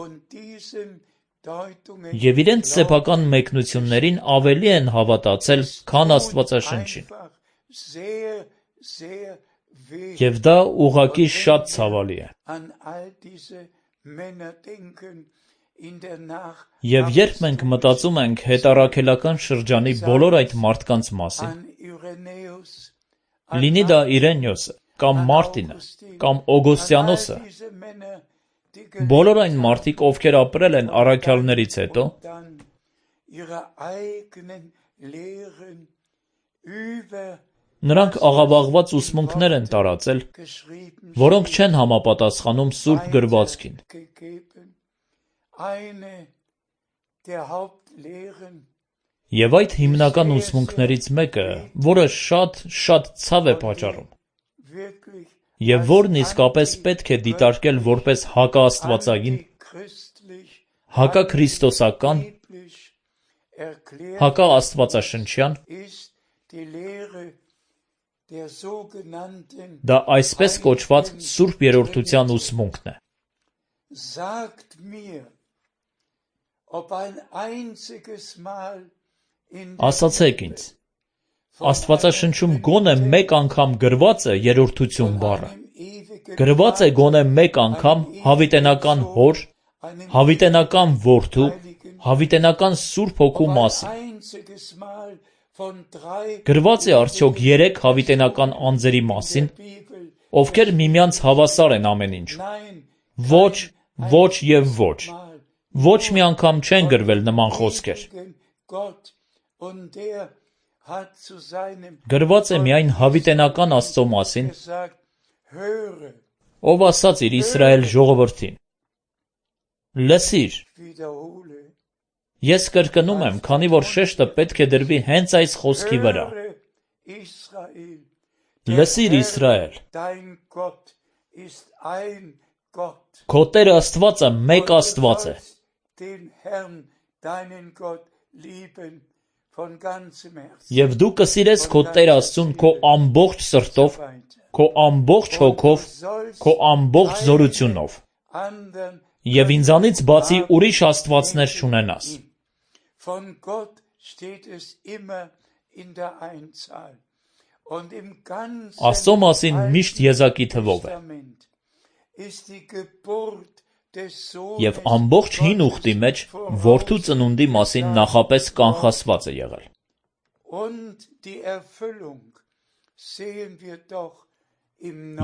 և իրենց սեփական մեկնություններին ավելի են հավատացել, քան Աստվածաշնչին։ Եվ դա ուղղակի շատ ցավալի է։ Եվ երբ մենք մտածում ենք հետառաքելական շրջանի բոլոր այդ մարդկանց մասին, լինի դա Իրենիոսը, կամ Մարտինը, կամ Օգոստիանոսը, բոլոր այն մարդիկ, ովքեր ապրել են առաքյալներից հետո, նրանք աղավաղված ուսմունքներ են տարածել, որոնք չեն համապատասխանում Սուրբ գրվածքին։ Եվ այդ հիմնական ուսմունքներից մեկը, որը շատ, շատ ցավ է պատճառում, և որն իսկապես պետք է դիտարկել որպես հակաաստվածային, հակաքրիստոսական, հակաաստվածաշնչյան, դա այսպես կոչված Սուրբ Երրորդության ուսմունքն է։ Ասացեք ինձ, Աստվածաշնչում գոնե մեկ անգամ գրված է երրորդություն բառը, գրված է գոնե մեկ անգամ հավիտենական Հոր, հավիտենական Որդու, հավիտենական Սուրբ Հոգու մասին, գրված է արդյոք երեք հավիտենական անձերի մասին, ովքեր միմյանց հավասար են ամեն ինչում։ Ոչ, ոչ և ոչ, ոչ մի անգամ չեն գրվել նման խոսքեր։ Գրված է միայն հավիտենական Աստծո մասին, ով ասաց իր Իսրայել ժողովրդին. լսիր, ես կրկնում եմ, քանի որ շեշտը պետք է դրվի հենց այս խոսքի վրա. լսիր Իսրայել, քո Տեր Աստվածը մեկ Աստված է։ Եվ դու կսիրես քո Տեր Աստծուն քո ամբողջ սրտով, քո ամբողջ հոգով, քո ամբողջ զորությունով, և ինձանից բացի ուրիշ աստվածներ չունենաս։ Աստծո մասին միշտ եզակի թվով է։ Եվ ամբողջ հին ուխտի մեջ որդու ծնունդի մասին նախապես կանխասված է եղել։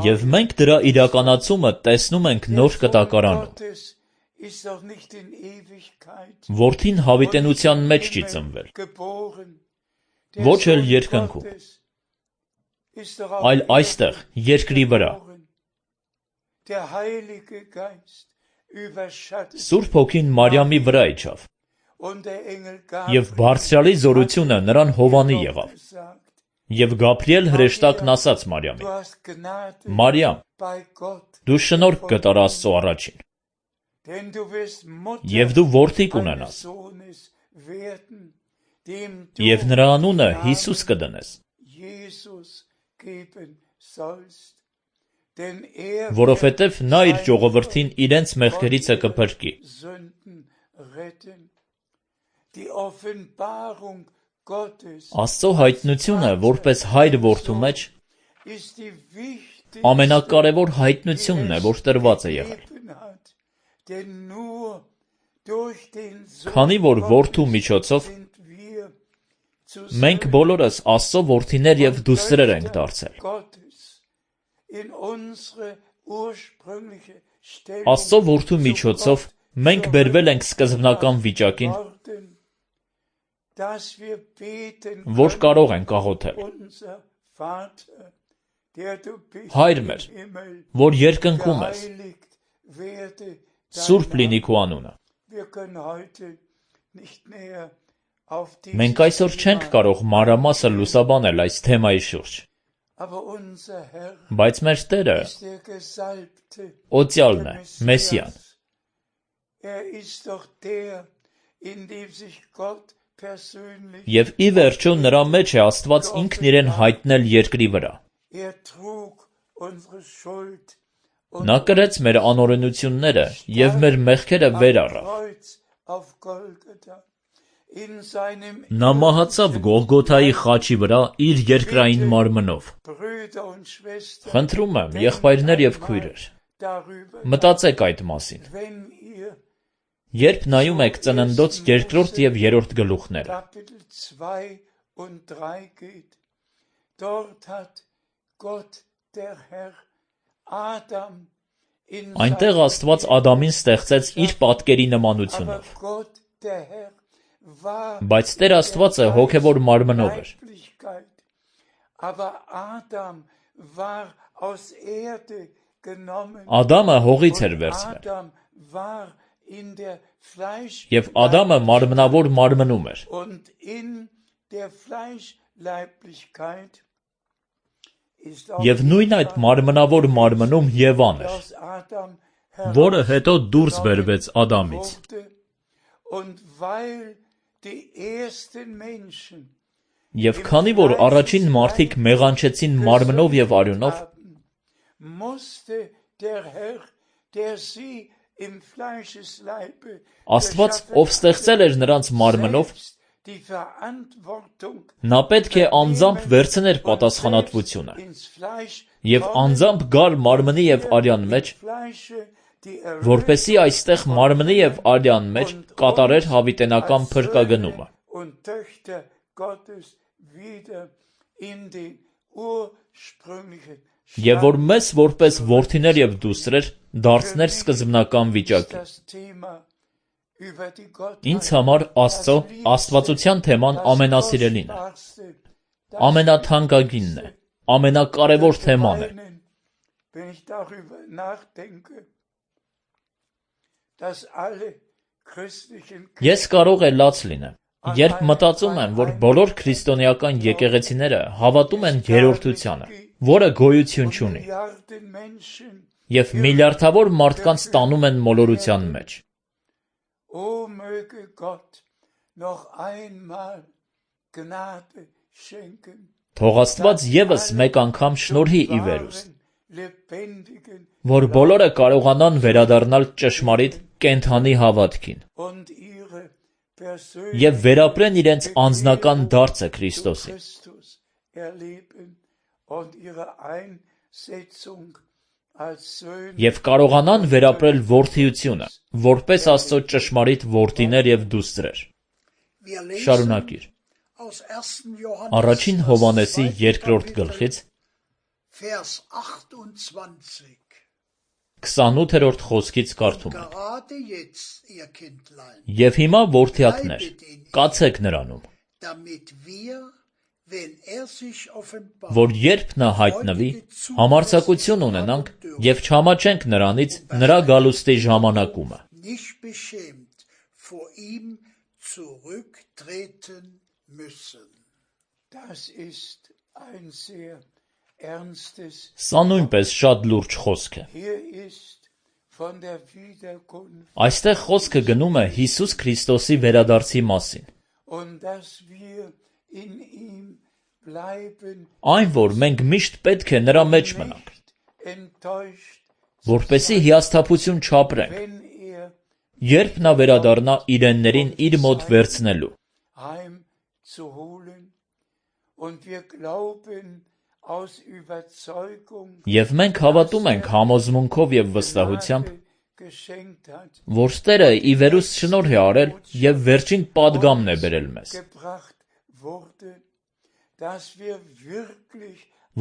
Եվ մենք դրա իրականացումը տեսնում ենք Նոր Կտակարանում։ Որդին հավիտենության մեջ չի ծնվել, ոչ էլ երկնքում, այլ այստեղ, երկրի վրա։ Սուրբ Հոգին Մարիամի վրա իջավ, և Բարձրյալի զորությունը նրան հովանի եղավ, և Գաբրիել հրեշտակն ասաց Մարիամին. «Մարիամ, դու շնորհք գտար Աստծո առաջին, և դու որդի կունենաս, և նրա անունը Հիսուս կդնես, որովհետև նա իր ժողովրդին իրենց մեղքերիցը կփրկի»։ Աստծո հայտնությունը որպես հայր որդու մեջ ամենակարևոր հայտնությունն է, որ տրված է եղել։ Քանի որ որդու միջոցով մենք բոլորս Աստծո որդիներ և դուստրեր ենք դարձել։ Աստծո որդու միջոցով մենք բերվել ենք սկզբնական վիճակին, որ կարող ենք աղոթել. Հայր մեր, որ երկնքում ես, սուրբ լինի քո անունը։ Մենք այսօր չենք կարող մանրամասն լուսաբանել այս թեմայի շուրջ, բայց մեր Տերը օծյալն է, Մեսիան։ Եվ ի վերջո նրա մեջ է Աստված ինքն իրեն հայտնել երկրի վրա։ Նա կրեց մեր անօրենությունները և մեր մեղքերը վեր առավ։ Նա մահացավ Գողգոթայի խաչի վրա իր երկրային մարմնով։ Խնդրում եմ, եղբայրներ և քույրեր, մտածեք այդ մասին, երբ նայում եք Ծննդոց երկրորդ և երրորդ գլուխները։ Այնտեղ Աստված Ադամին ստեղծեց իր պատկերի նմանությունով, բայց Տեր Աստվածը հոգևոր մարմնով էր։ Ադամը հողից էր վերցվել, և Ադամը մարմնավոր մարմնում էր։ Եվ նույն այդ մարմնավոր մարմնում Եվան էր, որը հետո դուրս բերվեց Ադամից։ Եվ քանի որ առաջին մարդիկ մեղանչեցին մարմնով և արյունով, Աստված, ով ստեղծել էր նրանց մարմնով, նա պետք է անձամբ վերցներ պատասխանատվությունը և անձամբ գար մարմնի և արյան մեջ, որպեսզի այստեղ մարմնի և արյան մեջ կատարեր հավիտենական փրկագնումը։ Եվ որ մեզ որպես որդիներ և դուստրեր դարձներ սկզբնական վիճակի։ Ինձ համար Աստծո աստվածության թեման ամենասիրելին է, ամենաթանկագինն է, ամենակարևոր թեման է։ Ես կարող է լաց լինեմ, երբ մտածում եմ, որ բոլոր քրիստոնեական եկեղեցիները հավատում են երրորդությանը, որը գոյություն չունի, և միլիարդավոր մարդկանց տանում են մոլորության մեջ։ Թող Աստված ևս մեկ անգամ շնորհի ի վերուստ, որ բոլորը կարողանան վերադառնալ ճշմարիտ կենդանի հավատքին և վերապրեն իրենց անձնական դարձը Քրիստոսին և կարողանան վերապրել որդիությունը, որպես Աստծո ճշմարիտ որդիներ և դուստրեր։ Շարունակիր։ Առաջին Հովհաննեսի երկրորդ գլխից քսանութերորդ խոսքից կարդում ենք. «Եվ հիմա, որդյակներ, կացեք նրանում, որ երբ նա հայտնվի, համարձակություն ունենանք և չամաչենք նրանից նրա գալուստի ժամանակումը»։ Սա նույնպես շատ լուրջ խոսք է։ Այստեղ խոսքը գնում է Հիսուս Քրիստոսի վերադարձի մասին։ Այն, որ մենք միշտ պետք է նրա մեջ մնանք, որպեսզի հիասթափություն չապրենք, երբ նա վերադառնա իրեններին իր մոտ վերցնելու։ Եվ մենք հավատում ենք համոզմունքով և վստահությամբ, որ Տերը ի վերուստ շնորհ է արել և վերջին պատգամն է բերել մեզ,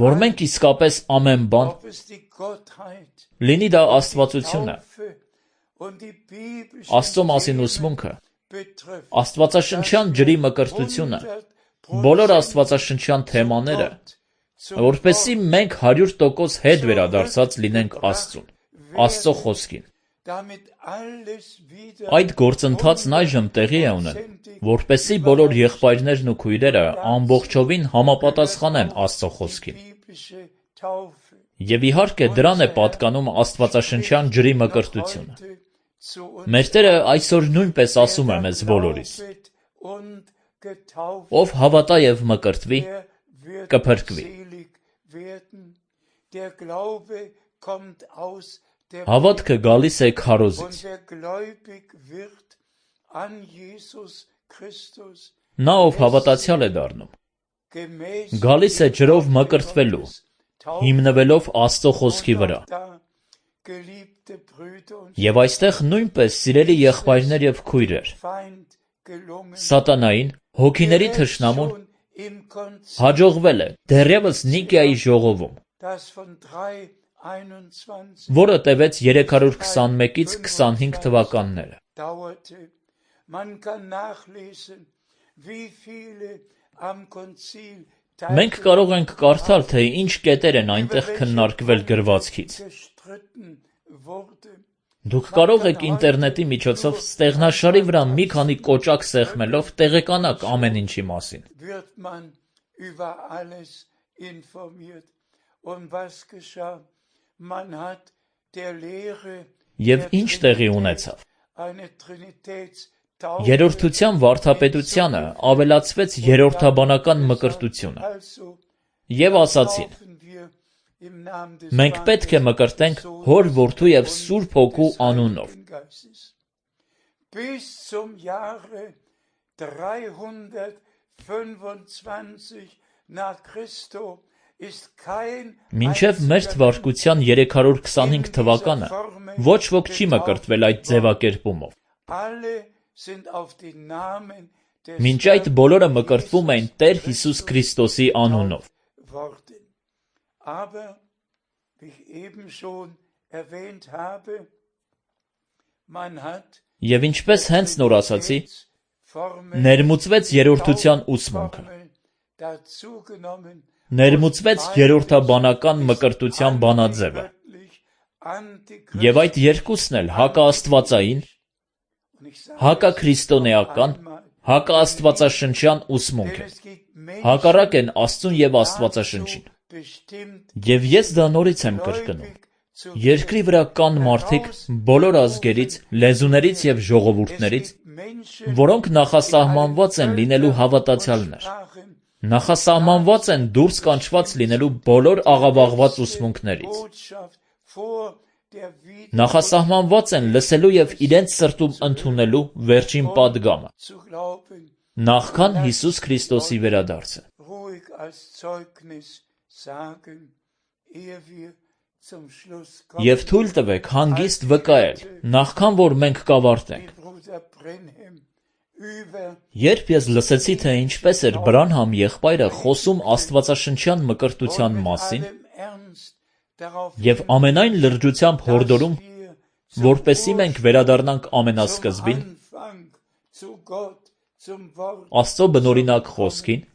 որ մենք իսկապես ամեն բան, լինի դա աստվածությունը, Աստծո մասին ուսմունքը, աստվածաշնչյան ջրի մկրտությունը, բոլոր աստվածաշնչյան թեմաները, որպեսզի մենք հարյուր տոկոս հետ վերադարձած լինենք Աստծուն, Աստծո խոսքին։ Այդ գործընթացն այժմ տեղի է ունենում, որպեսզի բոլոր եղբայրներն ու քույրերը ամբողջովին համապատասխանեն Աստծո խոսքին։ Եվ իհարկե դրան է պատկանում աստվածաշնչյան ջրի մկրտությունը։ Մեր Տերը այսօր նույնպես ասում է մեզ բոլորիս. ով հավատա և մկրտվի, կփրկվի։ Հավատքը գալիս է քարոզից։ Նա, ով հավատացյալ է դառնում, գալիս է ջրով մկրտվելու, հիմնվելով Աստծո խոսքի վրա։ Եվ այստեղ նույնպես, սիրելի եղբայրներ և քույրեր, սատանային, հոգիների թշնամուն, հաջողվել է դեռևս Նիկիայի ժողովում, որը տևեց երեք հարյուր քսանմեկից քսանհինգ թվականները։ Մենք կարող ենք կարդալ, թե ինչ կետեր են այնտեղ քննարկվել գրվածքից։ Դուք կարող եք ինտերնետի միջոցով ստեղնաշարի վրա մի քանի կոճակ սեղմելով տեղեկանաք ամեն ինչի մասին։ Եվ ինչ տեղի ունեցավ։ Երրորդության վարդապետությանը ավելացվեց երրորդաբանական մկրտությունը։ Եվ ասացին. մենք պետք է մկրտենք Հոր, Որդու և Սուրբ Հոգու անունով։ Մինչև մեր թվարկության երեք հարյուր քսանհինգ թվականը ոչ ոք չի մկրտվել այդ ձևակերպումով։ Մինչ այդ բոլորը մկրտվում էին Տեր Հիսուս Քրիստոսի անունով։ Եվ ինչպես հենց նոր ասացի, ներմուծվեց երրորդության ուսմունքը, ներմուծվեց երրորդաբանական մկրտության բանաձևը, և այդ երկուսն էլ հակաաստվածային, հակաքրիստոնեական, հակաաստվածաշնչյան ուսմունք է, հակառակ են Աստծուն և Աստվածաշնչին։ Եվ ես դա նորից եմ կրկնում. երկրի վրա կան մարդիկ բոլոր ազգերից, լեզուներից և ժողովուրդներից, որոնք նախասահմանված են լինելու հավատացյալներ, նախասահմանված են դուրս կանչված լինելու բոլոր աղավաղված ուսմունքներից, նախասահմանված են լսելու և իրենց սրտում ընդունելու վերջին պատգամը, նախքան Հիսուս Քրիստոսի վերադարձը։ Եվ թույլ տվեք հանգիստ վկայել, նախքան որ մենք կավարտենք։ Երբ ես լսեցի, թե ինչպես էր Բրանհամ եղբայրը խոսում աստվածաշնչյան մկրտության մասին և ամենայն լրջությամբ հորդորում, որպեսզի մենք վերադառնանք ամենասկզբին, Աստծո բնօրինակ խոսքին,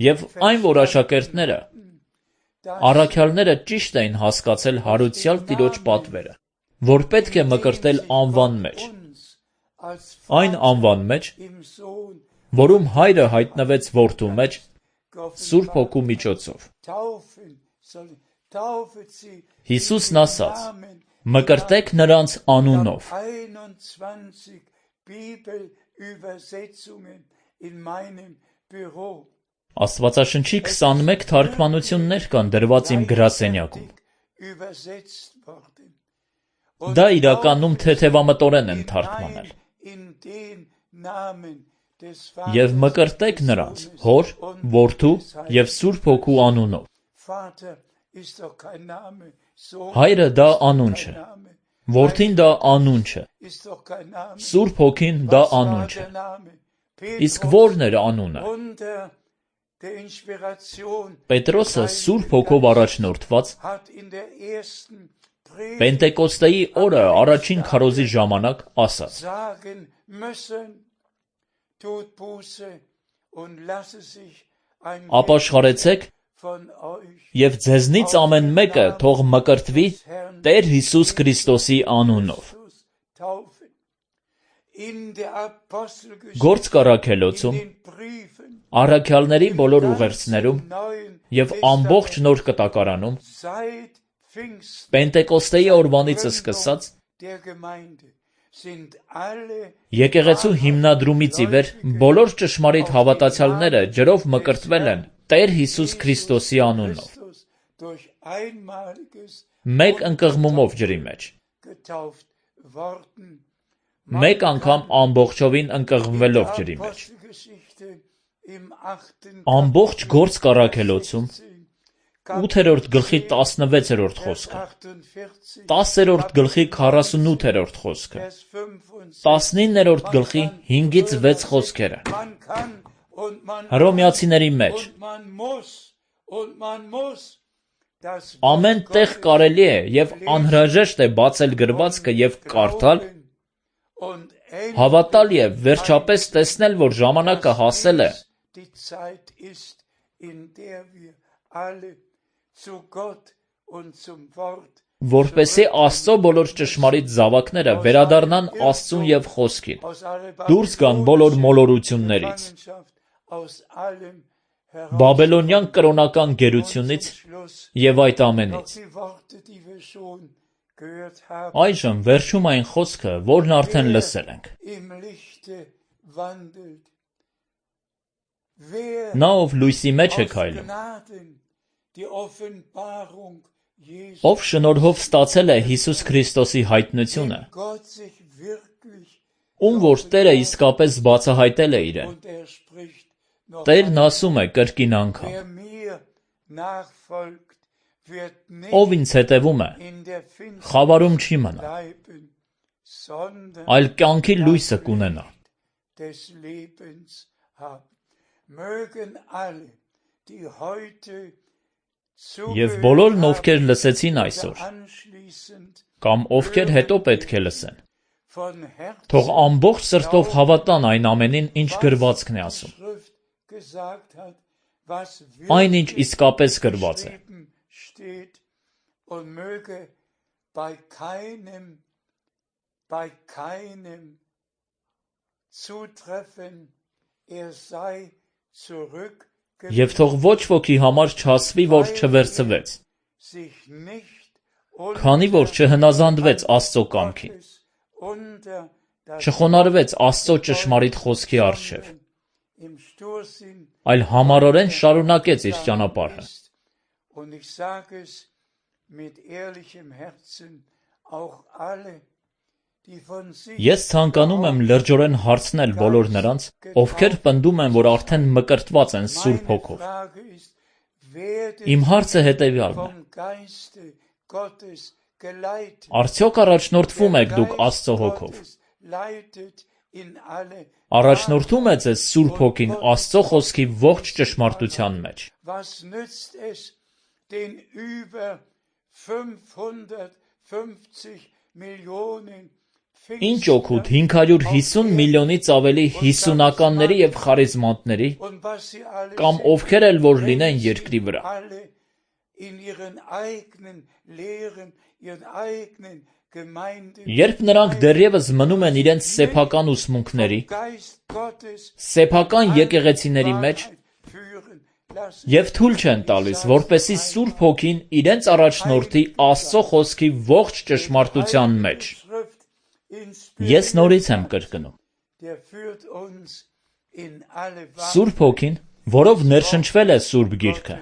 և այն, որ աշակերտները, առաքյալները ճիշտ էին հասկացել հարուցյալ Տիրոջ պատվերը, որ պետք է մկրտել անվան մեջ, այն անվան մեջ, որում Հայրը հայտնվեց Որդու մեջ, Սուրբ Հոգու միջոցով։ Հիսուսն ասաց. «Մկրտեք նրանց անունով»։ Աստվածաշնչի քսանմեկ թարգմանություններ կան դրված իմ գրասենյակում։ Դա իրականում թեթևամտորեն են թարգմանել։ «Եվ մկրտեք նրանց Հոր, Որդու և Սուրբ Հոգու անունով»։ Հայրը դա անուն չէ, Որդին դա անուն չէ, Սուրբ Հոգին դա անուն չէ։ Իսկ ո՞րն էր անունը։ Պետրոսը Սուրբ Հոգով առաջնորդված Պենտեկոստեի օրը առաջին քարոզի ժամանակ ասաց. «Ապաշխարեցեք և ձեզնից ամեն մեկը թող մկրտվի Տեր Հիսուս Քրիստոսի անունով»։ Գործք առաքելոցում, առաքյալների բոլոր ուղերձներում և ամբողջ Նոր Կտակարանում Պենտեկոստեի օրվանից սկսած եկեղեցու հիմնադրումից ի վեր բոլոր ճշմարիտ հավատացյալները ջրով մկրտվել են Տեր Հիսուս Քրիստոսի անունով, մեկ ընկղմումով ջրի մեջ, մեկ անգամ ամբողջովին ընկղմվելով ջրի մեջ։ Ամբողջ Գործք առաքելոցում ութերորդ գլխի տասնվեցերորդ խոսքը, տասերորդ գլխի քառասունութերորդ խոսքը, տասնիններորդ գլխի հինգից վեց խոսքերը, Հռոմեացիների մեջ, ամեն տեղ կարելի է և անհրաժեշտ է բացել գրվածքը և կարդալ, հավատալ և վերջապես տեսնել, որ ժամանակը հասել է, որպեսզի Աստծո բոլոր ճշմարիտ զավակները վերադառնան Աստծուն և Խոսքին, դուրս գան բոլոր մոլորություններից, բաբելոնյան կրոնական գերությունից և այդ ամենից։ Այժմ վերջում այն խոսքը, որն արդեն լսել ենք. Նա, ով լույսի մեջ է քայլում, ով շնորհով ստացել է Հիսուս Քրիստոսի հայտնությունը, ում որ Տերը իսկապես բացահայտել է իրեն, Տերն ասում է կրկին անգամ. «Ով ինձ հետևում է, խավարում չի մնա, այլ կյանքի լույսը կունենա»։ Եվ բոլորն, ովքեր լսեցին այսօր, կամ ովքեր հետո պետք է լսեն, թող ամբողջ սրտով հավատան այն ամենին, ինչ գրվածքն է ասում, այն, ինչ իսկապես գրված է, և թող ոչ ոքի համար չասվի, որ չվերցվեց, քանի որ չհնազանդվեց Աստծո կամքին, չխոնարհվեց Աստծո ճշմարիտ խոսքի առջև, այլ համառորեն շարունակեց իր ճանապարհը։ Ես ցանկանում եմ լրջորեն հարցնել բոլոր նրանց, ովքեր պնդում են, որ արդեն մկրտված են Սուրբ Հոգով։ Իմ հարցը հետևյալն է. արդյոք առաջնորդվում եք դուք Աստծո Հոգով։ Առաջնորդում է ձեզ Սուրբ Հոգին Աստծո խոսքի ողջ ճշմարտության մեջ։ Ինչ օգուտ հինգ հարյուր հիսուն միլիոնից ավելի հիսունականների և խարիզմանտների, կամ ովքեր էլ որ լինեն երկրի վրա, երբ նրանք դեռևս մնում են իրենց սեփական ուսմունքների, սեփական եկեղեցիների մեջ և թույլ չեն տալիս, որպեսզի Սուրբ Հոգին իրենց առաջնորդի Աստծո խոսքի ողջ ճշմարտության մեջ։ Ես նորից եմ կրկնում. Սուրբ Հոգին, որով ներշնչվել է Սուրբ Գիրքը,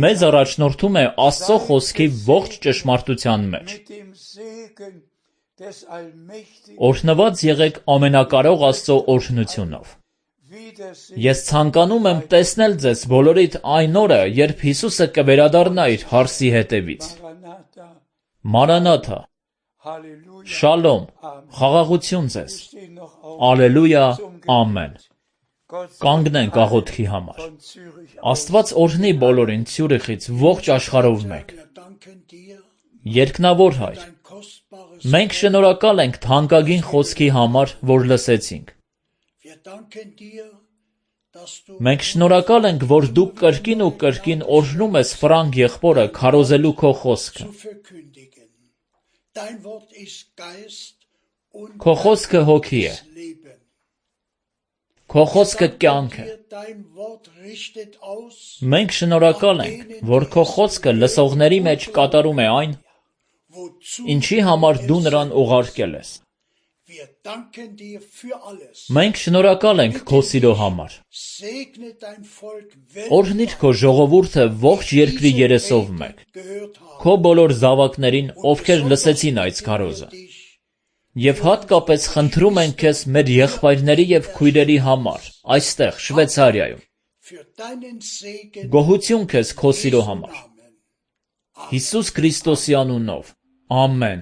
մեզ առաջնորդում է Աստծո խոսքի ողջ ճշմարտության մեջ։ Օրհնված եղեք ամենակարող Աստծո օրհնությունով։ Ես ցանկանում եմ տեսնել ձեզ բոլորիդ այն օրը, երբ Հիսուսը կվերադառնա իր հարսի հետևից։ Մանրանաթա, շալոմ, խաղաղություն ձեզ, ալելույա, ամեն։ Կանգնենք աղոթքի համար։ Աստված օրհնի բոլորին Ցյուրիխից ողջ աշխարհով մեկ։ Երկնավոր Հայր, մենք շնորհակալ ենք թանկագին խոսքի համար, որ լսեցինք։ Մենք շնորհակալ ենք, որ դու կրկին ու կրկին օրհնում ես Ֆրանկ եղբորը քարոզելու քո խոսքը։ Քո խոսքը հոգի է։ Քո խոսքը կյանք է։ Մենք շնորհակալ ենք, որ քո խոսքը լսողների մեջ կատարում է այն, ինչի համար դու նրան ուղարկել ես։ Մենք շնորհակալ ենք քո սիրո համար։ Օրհնիր քո ժողովուրդը ողջ երկրի երեսով մեկ, քո բոլոր զավակներին, ովքեր լսեցին այս քարոզը։ Եվ հատկապես խնդրում ենք քեզ մեր եղբայրների և քույրերի համար, այստեղ, Շվեյցարիայում։ Գոհություն քեզ քո սիրո համար։ Հիսուս Քրիստոսի անունով, ամեն։